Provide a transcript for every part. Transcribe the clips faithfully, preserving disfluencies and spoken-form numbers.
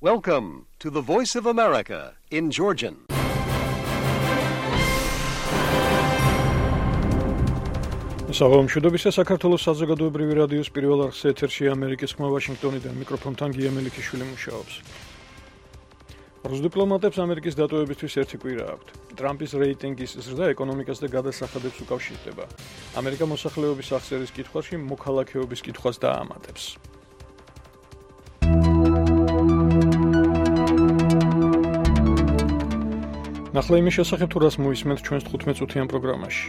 Welcome to the Voice of America in Georgian. Საღამოშუდობისა საქართველოს საზოგადოებრივი რადიოს პირველ არხზე ეთერში ამერიკის ხმა ვაშინგტონიდან მიკროფონთან გია მელიქიშვილი მუშაობს. რუს დიპლომატებს ამერიკის დატოვებისთვის ერთი კვირა აქვთ. ტრამპის რეიტინგის ზრდა ეკონომიკას და გადასახადებს უკავშირდება. ამერიკა მოსახლეობის აღწერის კითხვაში მოქალაქეობის კითხვას დაამატებს. ნახლა იმის შესახებ თუ რას მოისმენთ ჩვენს თხუთმეტ წუთიან პროგრამაში.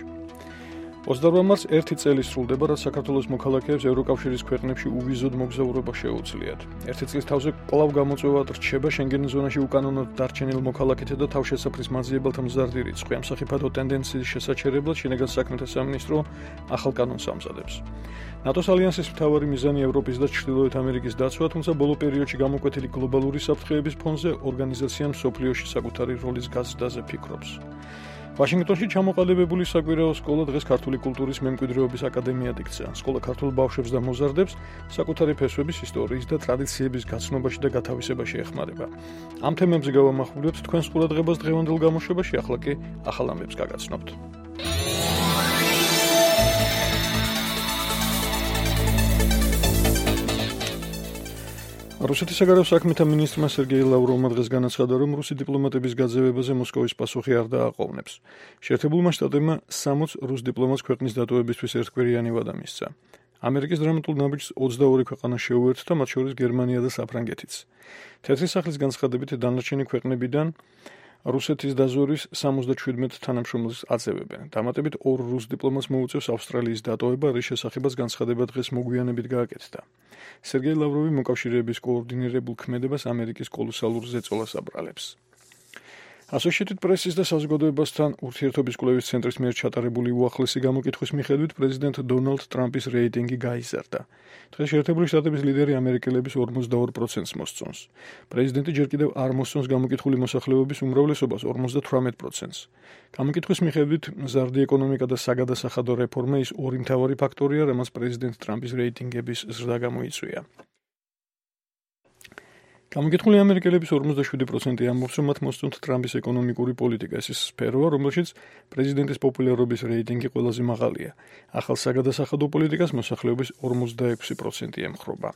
ოცდაორ მარტს ერთი წელი სრულდება, რაც საქართველოს მოქალაქეებს ევროკავშირის ქვეყნებში უვიზოდ მოგზაურობა შეუძლიათ. ერთი წლის თავზე კვლავ გამოწვევა რჩება შენგენის ზონაში უკანონოდ დარჩენილ მოქალაქეთა და თავშესაფრის მაძიებელთა მზარდი რიცხვი. ამ სახიფათო ტენდენციის შესაჩერებლად შინაგან საქმეთა სამინისტრო ახალ კანონს ამზადებს. ნატოს ალიანსის მთავარი მიზანი ევროპის და ჩრდილოეთ ამერიკის დაცვა, თუმცა ბოლო პერიოდში გამოკვეთილი გლობალური საფრთხეების ფონზე ორგანიზაციამ მსოფლიოში საკუთარი როლის გაზრდაზე ფიქრობს. ვაშინგტონში ჩამოყალიბებული საკვირაო სკოლა დღეს ქართული კულტურის მემკვიდრეობის აკადემიად იქცა. სკოლა ქართულ ბავშვებს და მოზარდებს საკუთარი ფესვების, ისტორიის და ტრადიციების გაცნობაში და გათავისებაში ეხმარება. ამ თემებზე გავამახვილებთ თქვენს ყურადღებას დღევანდელ გამოშვებაში, ახლა კი ახალ ამბებს გაგაცნობთ. რუსეთის საგარეო საქმეთა მინისტრმა სერგეი ლავროვმა დღეს განაცხადა, რომ რუსი დიპლომატების გაძევებაზე მოსკოვის პასუხი არ დააყოვნებს. შეერთებულმა შტატებმა სამოც რუს დიპლომატს ქვეყნის დატოვებისთვის ერთკვირიანი ვადა მისცა. ამერიკის დრამატულ ნაბიჯს ოცდაორი ქვეყანა შეუერთდა, მათ შორის გერმანია და საფრანგეთიც. თეთრი სახლის განცხადებით დანარჩენი ქვეყნებიდან რუსეთის დაზვერვის სამოცდაშვიდმეტ თანამშრომელს აწევებენ. დამატებით ორ რუს დიპლომატს მოუწევს ავსტრალიის დატოვება, რის შესახებაც განცხადება დღეს მოგვიანებით გააკეთდა. სერგეი ლავროვი მოკავშირეების კოორდინირებულ ქმედებას ამერიკის კოლოსალურ ზეწოლას აბრალებს. Associated Press-ის და საზოგადოებასთან ურთიერთობის კვლევის ცენტრის მიერ ჩატარებული უახლესი გამოკითხვის მიხედვით პრეზიდენტ დონალდ ტრამპის რეიტინგი გაიზარდა. დღეს შეერთებული შტატების ლიდერი ამერიკელების ორმოცდაორ პროცენტს მოსწონს. პრეზიდენტი ჯერ კიდევ არ მოსწონს გამოკითხული მოსახლეობის უმრავლესობას ორმოცდათვრამეტ პროცენტს. გამოკითხვის მიხედვით მზარდი ეკონომიკა და საგადასახადო რეფორმა ის ორი მთავარი ფაქტორია, რამაც პრეზიდენტ ტრამპის რეიტინგების ზრდა გამოიწვია. გამოკითხული ამერიკელების ორმოცდაშვიდი პროცენტი ამბობს, რომ მათ მოსწონთ ტრამპის ეკონომიკური პოლიტიკა. ეს ის სფეროა, რომელშიც პრეზიდენტის პოპულარობის რეიტინგი ყველაზე მაღალია. ახალ საგადასახადო პოლიტიკას მოსახლეობის ორმოცდაექვსი პროცენტი ემხრობა.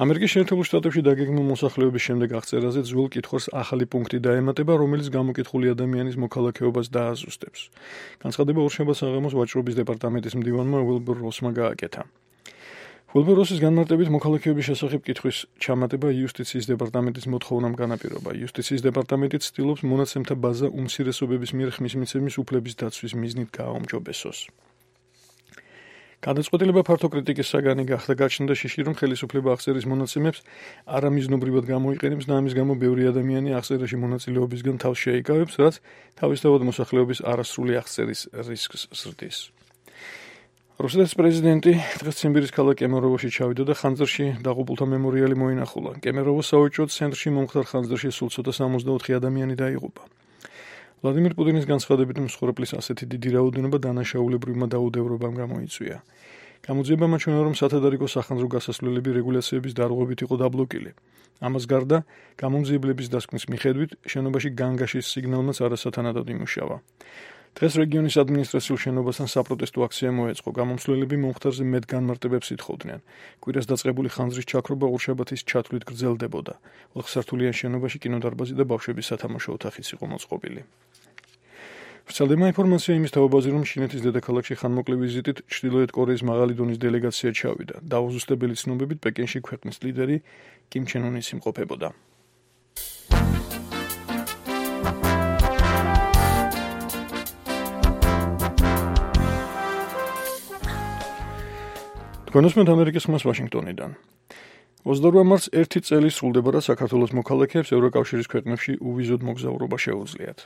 ამერიკის შეერთებულ შტატებში დაგეგმილ მოსახლეობის შემდეგ აღწერაზე ძველ კითხვას ახალი პუნქტი დაემატება, რომელიც გამოკითხული ადამიანის მოქალაქეობას დააზუსტებს. განცხადება ორშაბათს საღამოს ვაჭრობის დეპარტამენტის მდივანმა უილბურ როსმა გააკეთა. უილბურ როსის განმარტებით მოქალაქეობის შესახებ კითხვის ჩამატება იუსტიციის დეპარტამენტის მოთხოვნამ განაპირობა. იუსტიციის დეპარტამენტი ცდილობს მონაცემთა ბაზა უმცირესობების მიერ ხმის მიცემის უფლების დაცვის მიზნით გააუმჯობესოს. გადაწყვეტილება ფართო კრიტიკის საგანი გახდა, გაჩნდა შიში, რომ ხელისუფლება აღწერის მონაცემებს არამიზნობრივად გამოიყენებს და ამის გამო ბევრი ადამიანი აღწერაში მონაწილეობისგან თავს შეიკავებს, რაც თავისთავად მოსახლეობის არასრული აღწერის რისკს ზრდის. რუსეთის პრეზიდენტი დღეს ციმბირის ქალაქ კემეროვოში ჩავიდა და ხანძრში დაღუპულთა მემორიალი მოინახულა. კემეროვოს საოჯო ცენტრში მომხდარ ხანძრში სულ ცოტა სამოცდაოთხი ადამიანი დაიღუპა. ვლადიმირ პუტინის განცხადებით მსხვერპლის ასეთი დიდი რაოდენობა დანაშაულებრივმა დაუდევრობამ გამოიწვია. გამოძიება მაჩვენა, რომ სათადარიგო სახანძრო გასასვლელები რეგულაციების დარღვევით იყო დაბლოკილი. ამას გარდა, გამომძიებლების დასკვნის მიხედვით, შენობაში განგაშის სიგნალმაც არასათანადოდ იმუშავა. დღეს რეგიონის ადმინისტრაციულ შენობასთან საპროტესტო აქცია მოეწყო. გამომსვლელები მომხდარზე მეტ განმარტებებს ითხოვდნენ. კვირას დაწყებული ხანძრის ჩაქრობა ორშაბათის ჩათვლით გრძელდებოდა. ოთხსართულიან შენობაში კინოდარბაზი და ბავშვების სათამაშო ოთახიც იყო მოწყობილი. ვრცელდება ინფორმაცია იმის თაობაზე, რომ ჩინეთის დედაქალაქში ხანმოკლე ვიზიტით ჩრდილოეთ კორეის მაღალი დონის დელეგაცია ჩავიდა. დაუზუსტებელი ცნობებით პეკინში ქვეყნის ლიდერი კიმ ჩენ უნის იმყოფებოდა. თქვენოსმენთ ამერიკის ხმას ვაშინგტონიდან. ოცდაორ მარტს ერთი წელი სრულდება, რაც საქართველოს მოქალაქეებს ევროკავშირის ქვეყნებში უვიზოდ მოგზაურობა შეუძლიათ.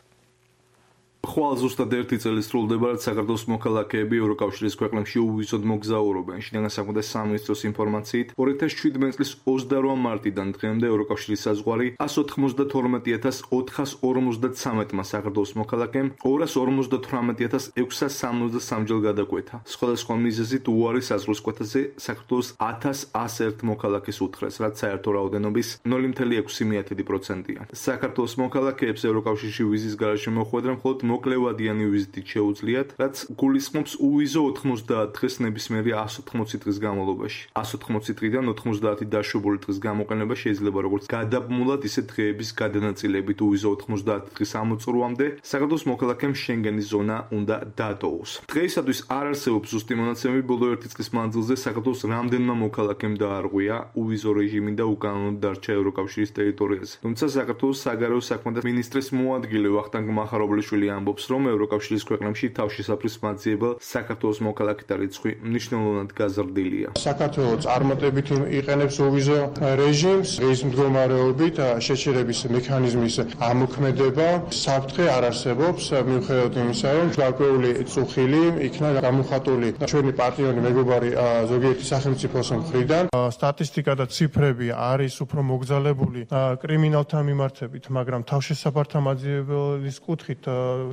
ხვალ ზუსტად ერთი წელი სრულდება, რაც საქართველოს მოქალაქეები ევროკავშირის ქვეყნებში უვიზოდ მოგზაურობენ. შინაგან საქმეთა სამინისტროს ინფორმაციით, ორი ათას შვიდმეტი წლის ოცდაორი მარტიდან დღემდე ევროკავშირის საზღვარი εκατს ოთხმოცდათორმეტი ათას ოთხას ორმოცდათრამეტმა საქართველოს მოქალაქემ ორას ორმოცდათვრამეტი ათას ექვსას სამოცდასამ ჯერ გადაკვეთა. სხვადასხვა მიზეზით უარი საზღვრის კვეთაზე საქართველოს ათას ასი ერთ მოქალაქეს უთხრეს, რაც საერთო რაოდენობის ნული მცდარი ექვსი პროცენტია. საქართველოს მოქალაქეებს ევროკავშირში ვიზის გარეშე მოხვედრა მხოლოდ მოკლევადიანი ვიზიტით შეუძლიათ, რაც გულისხმობს უვიზო ოთხმოცდაათ დღეს ნებისმიერი εκατს ოთხმოცი დღის განმავლობაში. εκατს ოთხმოცი დღიდან ოთხმოცდაათი დაშვებული დღის გამოყენება შეიძლება როგორც გადაბმულად, ისე დღეების გადანაწილებით უვიზო ოთხმოცდაათი დღის ამოწურვამდე საქართველოს მოქალაქემ შენგენის ზონა უნდა დაატოვოს. დღეისათვის არ არსებობს ზუსტი მონაცემები, ბოლო ერთი წლის მანძილზე საქართველოს რამდენმა მოქალაქემ დაარღვია უვიზო რეჟიმი და უკანონოდ დარჩა ევროკავშირის ტერიტორიაზე. თუმცა საქართველოს საგარეო საქმეთა მინისტრის მოადგილე ვახტანგ მახარობლიშვილი ამბობს, რომ ევროკავშირის ქვეყნებში თავშესაფრის მაძიებელ საქართველოს მოქალაქეთა რიცხვი მნიშვნელოვნად გაზრდილია. საქართველოს წარმატებით იყენებს უვიზო რეჟიმს, ის მდგომარეობით შეჩერების მექანიზმის ამოქმედება საფრთხე არ არსებობს, მიუხედავად იმისა, რომ გარკვეული წუხილი იქნა გამოხატული ჩვენი პარტნიორი მეგობარი ზოგიერთი სახელმწიფოს მხრიდან. სტატისტიკა და ციფრები არის უფრო მოგზალებული კრიმინალთა მიმართებით, მაგრამ თავშესაფართა მაძიებელის კუთხით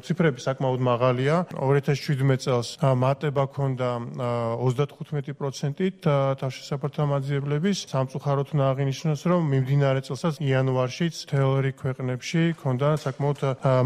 ციფრები საკმაოდ მაღალია. ორი ათას შვიდმეტი წელს მატება ჰქონდა ოცდათხუთმეტი პროცენტით თავშესაფართა მაძიებლების. სამწუხაროდ უნდა აღინიშნოს, რომ მიმდინარე წელსაც იანვარშიც მთელ რიგ ქვეყნებში ჰქონდა საკმაოდ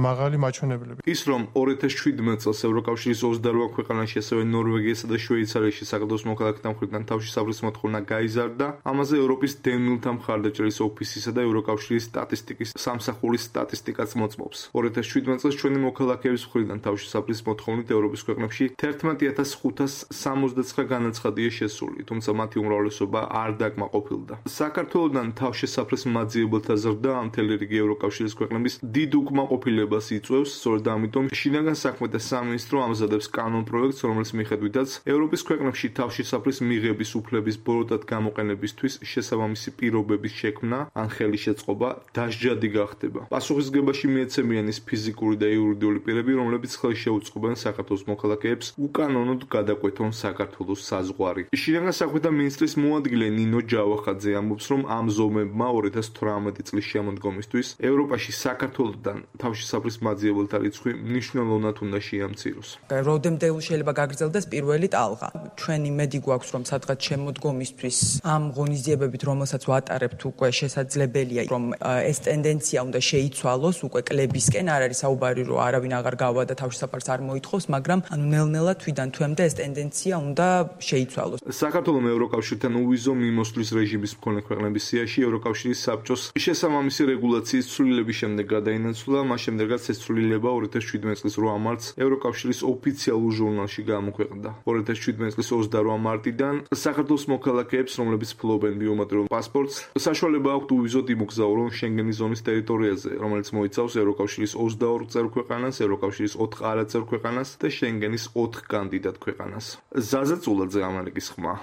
მაღალი მაჩვენებლები. ის რომ ორი ათას შვიდმეტი წელს ევროკავშირის ოცდაორ ქვეყანაში, ასევე ნორვეგიასა და შვეიცარიაში საქართველოს მოქალაქეთა მხრიდან თავშესაფრის მოთხოვნა გაიზარდა, ამაზე ევროპის დევნილთა მხარდაჭერის ოფისისა და ევროკავშირის სტატისტიკის სამსახურის სტატისტიკაც მოწმობს. ორი ათას შვიდმეტი წელს ჩვენი მოქალაქეების მხრიდან თავშესაფრის მოთხოვნით ევროპის ქვეყნებში თერთმეტი ათას ხუთას სამოცდაცხრა განაცხადია შესული, თუმცა მათი უმრავლესობა არ დაკმაყოფილდა. საქართველოდან თავშესაფრის მაძიებელთა ზრდა მთელი რიგი ევროკავშირის ქვეყნების დიდ უკმაყოფილებას იწვევს, სწორედ ამიტომ შინაგან საქმეთა სამინისტრო ამზადებს კანონპროექტს, რომლის მიხედვითაც ევროპის ქვეყნებში თავშესაფრის მიღების უფლების ბოროტად გამოყენებისთვის შესაბამისი პირობების შექმნა ან ხელი შეწყობა დასჯადი გახდება. პასუხისგებაში მიეცემიან ის ფიზიკური და იურიდიული პირები, რომლებიც ხელს შეუწყობენ საქართველოს მოქალაქეებს უკანონოდ გადაკვეთონ საქართველოს საზღვარი. შინაგან საქმეთა მინისტრის მოადგილე ნინო ჯავახაძე ამბობს, რომ ამ ზომებმა ორი ათას თვრამეტი წლის შემოდგომისთვის ევროპაში საქართველოსთან თავშესაფრის მაძიებელთა რიცხვი მნიშვნელოვნად უნდა შეამციროს. Rodemde შეიძლება გაგრძელდეს პირველი ტალღა. ჩვენი მედი გვაქვს, რომ სადღაც შემოდგომისთვის ამ ღონისძიებებით, რომელსაც ვატარებთ, უკვე შესაძლებელია, რომ ეს ტენდენცია უნდა შეიცვალოს, უკვე კლებისკენ არ არის საუბარი, რომ არავინ აღარ გავა და თავშესაფარს არ მოითხოვს, მაგრამ ანუ ნელ-ნელა თვიდან თვემდე ეს ტენდენცია უნდა შეიცვალოს. საქართველოს ევროკავშირთან უვიზო მიმოსვლის რეჟიმის მქონე ქვეყნების სიაში ევროკავშირის საბჭოს შესაბამისი რეგულაციის ცვლილების შემდეგ გადაინაცვლა, მას შემდეგაც ეს ცვლილება ორი ათას შვიდმეტი წლის ორი მარტს ევროკავშირის ოფიციალურ ჟურნალში გამოქვეყნდა. ორი ათას შვიდმეტი წლის ოცდაორი მარტიდან საქართველოს მოქალაქეებს, რომლებიც ფლობენ ბიომეტრიულ პასპორტს, საშუალება აქვთ უვიზოდ იმოგზაურონ შენგენის ზონის ტერიტორიაზე, რომელიც მოიცავს ევროკავშირის ოცდაორ წევრ ქვეყანას, ევროკავშირის ოთხ არაწევრ ქვეყანას და შენგენის ოთხ კანდიდატ ქვეყანას. ზაზა წულაძე, ამერიკის ხმა.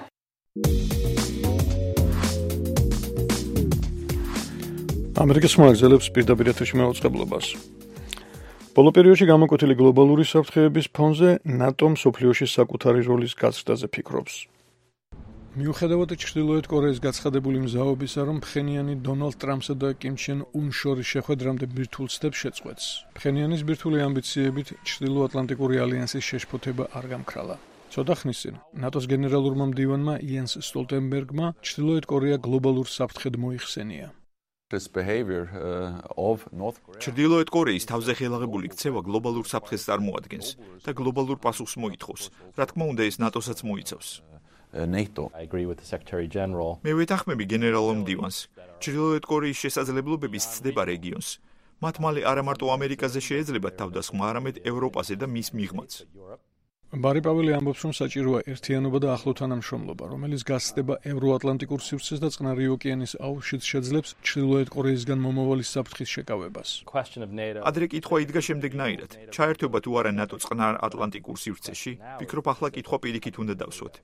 ამერიკის ხმა გრძელებს პირდაპირ ეთერში მაუწყებლობას. ბოლო პერიოდში გამოკვეთილი გლობალური საფრთხეების ფონზე ნატომ მსოფლიოში საკუთარი როლის გაზრდაზე ფიქრობს. მიუხედავად ჩრდილოეთ კორეის გაცხადებული მზაობისა, რომ ფხენიანი დონალდ ტრამპსა და კიმ ჩენ უნის შორის შეხვედრამდე ბირთვულ ცდებს შეწყვეტს, ფხენიანის ბირთვული ამბიციებით ჩრდილოატლანტიკური ალიანსის შეშფოთება არ გამქრალა. ცოტა ხნის წინ ნატოს გენერალურმა მდივანმა იენს სტოლტენბერგმა ჩრდილოეთ კორეა გლობალურ საფრთხედ მოიხსენია. ჩრდილოეთ კორეის თავზე ხელაღებული ქცევა გლობალურ საფრთხეს წარმოადგენს და გლობალურ პასუხს მოითხოვს. რა თქმა უნდა, ეს ნატოსაც მოიცავს. მე ვეთანხმები გენერალურ მდივანს. ჩრდილოეთ კორეის შესაძლებლობების ცდება რეგიონს. მათ მალე არა მარტო ამერიკაზე შეეძლებათ თავდასხმა, არამედ ევროპაზე და მის მიღმაც. ბარი პაველი ამბობს, რომ საჭიროა ერთიანობა და ახლო თანამშრომლობა, რომელიც გასცდება ევროატლანტიკურ სივრცეს და წყნარი ოკეანის აუზშიც შეძლებს ჩრდილოეთ კორეისგან მომავალი საფრთხის შეკავებას. ადრე კითხვა იდგა შემდეგნაირად. ჩაერთვება თუ არა ნატო წყნარ ატლანტიკურ სივრცეში? ვფიქრობ, ახლა კითხვა პირიქით უნდა დავსვათ.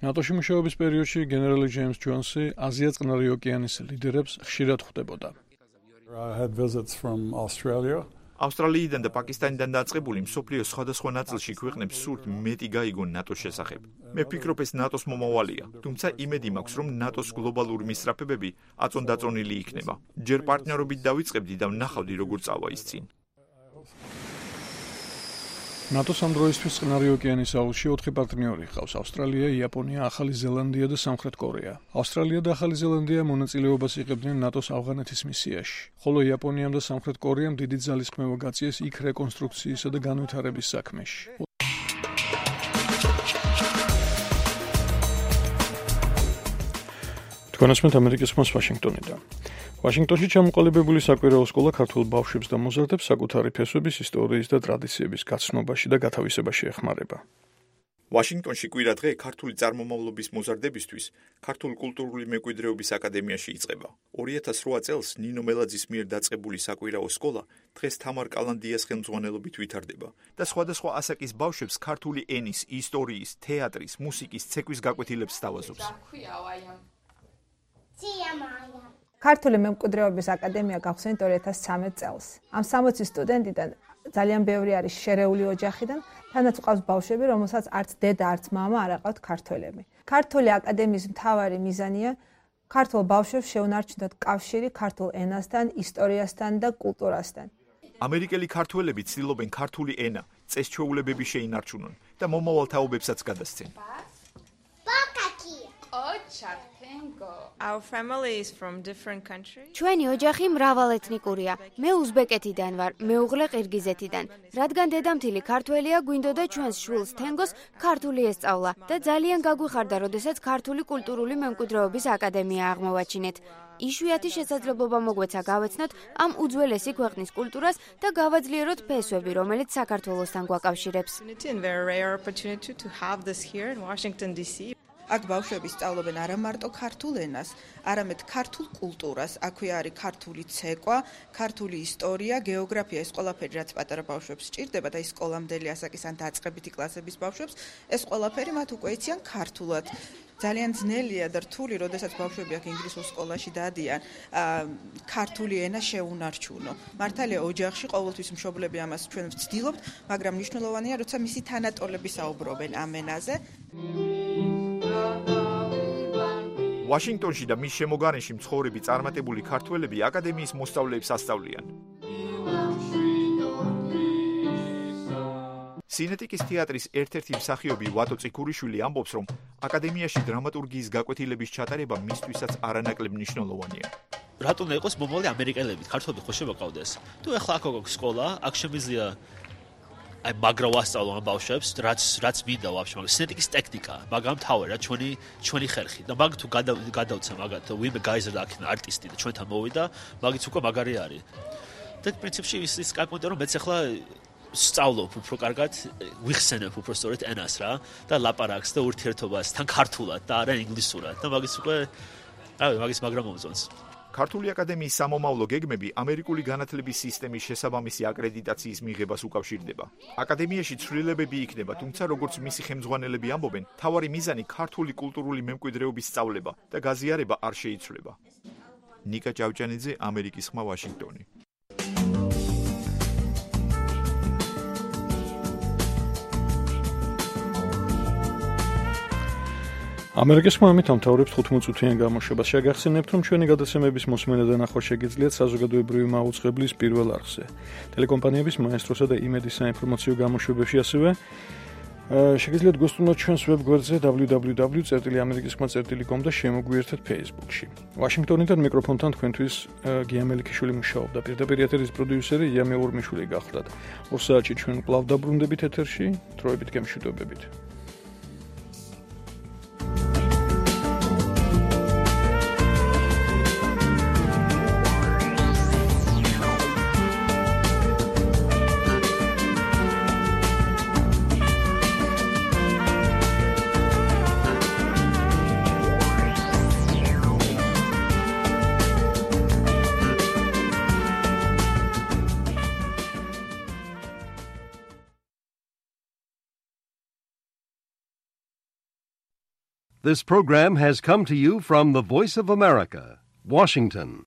ნატოში მუშაობის პერიოდში გენერალი ჯეიმს ჯონსი აზია წყნარი ოკეანის ლიდერებს ხშირად ხვდებოდა. ავსტრალიიდან და პაკისტანიდან დაწყებული მსოფლიოს სხვადასხვა ნაწილში ქვეყნებს სურთ მეტი გაიგონ ნატოს შესახებ. მე ვფიქრობ, ეს ნატოს მომავალია, თუმცა იმედი მაქვს, რომ ნატოს გლობალური მისწრაფებები აწონდაწონილი იქნება. ჯერ პარტნიორობით დავიწყებდი და ვნახავდი, როგორ წავა ის წინ. ნატოს ამ დროისთვის წყნარი ოკეანის აუზში ოთხი პარტნიორი ჰყავს: ავსტრალია, იაპონია, ახალი ზელანდია და სამხრეთ კორეა. ავსტრალია და ახალი ზელანდია მონაწილეობას იღებდნენ ნატოს ავღანეთის მისიაში, ხოლო იაპონიამ და სამხრეთ კორეამ დიდი ძალისხმევა გაწიეს იქ რეკონსტრუქციისა და განვითარების საქმეში. თქვენასმეთ ამერიკის ხმას ვაშინგტონიდან. ვაშინგტონში ჩამოყალიბებული საკვირაო სკოლა ქართულ ბავშვებს და მოზარდებს საკუთარი ფესვების, ისტორიის და ტრადიციების გაცნობაში და გათავისებაში ეხმარება. ვაშინგტონში კვირა დღე ქართული წარმომავლობის მოზარდებისთვის ქართული კულტურული მემკვიდრეობის აკადემიაში იწყება. ორი ათას რვა წელს ნინო მელაძის მიერ დაწყებული საკვირაო სკოლა დღეს თამარ კალანდიას ხელმძღვანელობით ვითარდება და სხვადასხვა ასაკის ბავშვებს ქართული ენის, ისტორიის, თეატრის, მუსიკის, ცეკვის გაკვეთილებს სთავაზობს. ქართული მემკვიდრეობის აკადემია გახსენით ორი ათას ცხრამეტ წელს. ამ სამოცი სტუდენტიდან ძალიან ბევრი არის შერეული ოჯახიდან, თანაც ყავს ბავშვები, რომელსაც არც დედა, არც მამა არ აყავთ ქართველები. ქართული აკადემიის მთავარი მიზანია ქართულ ბავშვებს შეუნარჩუნოთ კავშირი ქართულ ენასთან, ისტორიასთან და კულტურასთან. ამერიკელი ქართველები ცდილობენ ქართული ენა, წესჩვეულებები შეინარჩუნონ და მომავალ თაობებსაც გადასცენ. Our family is from different countries. ჩვენი ოჯახი მრავალეთნიკურია. მე უზბეკეთიდან ვარ, მეუღლე ყირგიზეთიდან. რადგან დედამთილი ქართველია, გვინდოდა ჩვენს შვილს თენგოს ქართული ესწავლა და ძალიან გაგვიხარდა, როდესაც ქართული კულტურული მემკვიდრეობის აკადემია აღმოვაჩინეთ. იშვიათი შესაძლებლობა მოგვეცა გავეცნოთ ამ უძველესი ქვეყნის კულტურას და გავაძლიეროთ ფესვები, რომელიც საქართველოსთან გვაკავშირებს. აქ ბავშვები სწავლობენ არა მარტო ქართულ ენას, არამედ ქართულ კულტურას. აქვე არის ქართული ცეკვა, ქართული ისტორია, გეოგრაფია, ეს ყველაფერი, რაც პატარა ბავშვებს სჭირდება და ის სკოლამდელი ასაკის ან დაწყებითი კლასების ბავშვებს, ეს ყველაფერი მათ უკვე იციან ქართულად. ძალიან ძნელია და რთული, როდესაც ბავშვები აქ ინგლისურ სკოლაში დადიან, ქართული ენა შეუნარჩუნო. მართალია ოჯახში ყოველთვის მშობლები ამას ჩვენ ვცდილობთ, მაგრამ მნიშვნელოვანია, როცა მისი თანატოლები საუბრობენ ამ ენაზე. ვაშინგტონში და მის შემოგარენში მცხოვრები წარმატებული ქართველები აკადემიის მოსწავლეებს ასწავლიან. სინეტიკის თეატრის ერთ-ერთი მსახიობი ვატო წიქურიშვილი ამბობს, რომ აკადემიაში დრამატურგიის გაკვეთილების ჩატარება მისთვისაც არანაკლებ მნიშვნელოვანია. რატომ უნდა იყოს მომავალი ამერიკელები, ქართველები ხო შემოყავდეს? თუ ახლა აქ აქვს სკოლა, აქ შემიძლია აი მაგრა ვასწავლო ამ ბავშვებს, რაც რაც მინდა ვაფშე, მაგრამ სინეტიკის ტექნიკა, მაგრამ თავი რა ჩვენი ჩვენი ხერხი. და მაგ თუ გადავცა მაგათ, ვინმე გაიზარდა აქ არტისტი და ჩვენთან მოვიდა, მაგიც უკვე მაგარი არის. და პრინციპში ის ის კაკუნდა რომ მეც ახლა სწავლობ უფრო კარგად, ვიხსენებ უფრო სწორედ ენას რა და ლაპარაკს და ურთიერთობას თან ქართულად და არა ინგლისურად და მაგის უკვე რავი, მაგის მაგრამ მომწონს. ქართული აკადემიის სამომავლო გეგმები ამერიკული განათლების სისტემის შესაბამისი აკრედიტაციის მიღებას უკავშირდება. აკადემიაში ცვლილებები იქნება, თუმცა როგორც მისი ხელმძღვანელები ამბობენ, თავარი მიზანი ქართული კულტურული მემკვიდრეობის სწავლება და გაზიარება არ შეიცვლება. ნიკა ჭავჭანიძე, ამერიკის ხმა, ვაშინგტონი. ამერიკის ხმა ამით ამთავრებს თხუთმოწუთიან გამოშვებას. შეგახსენებთ, რომ ჩვენი გადაცემების მოსმენა და ნახვა შეგიძლიათ საზოგადოებრივი მაუწყებლის პირველ არხზე. ტელეკომპანიების მაესტროსა და იმედის საინფორმაციო გამოშვებებში ასევე შეგიძლიათ გოსტუმროთ ჩვენს ვებგვერდზე დაბლიუ დაბლიუ დაბლიუ წერტილი ამერიკის ხმა წერტილი კომ და შემოგვიერთეთ Facebook-ში. ვაშინგტონიდან მიკროფონთან თქვენთვის გია მელიქიშვილი მუშაობდა. პირდაპირ ეთერის პროდიუსერი იამე ორმიშვილი გახლდათ. ორ საათში ჩვენ კვლავ დაბრუნდებით ეთერში, დროებით გემშვიდობებით. This program has come to you from the Voice of America, Washington.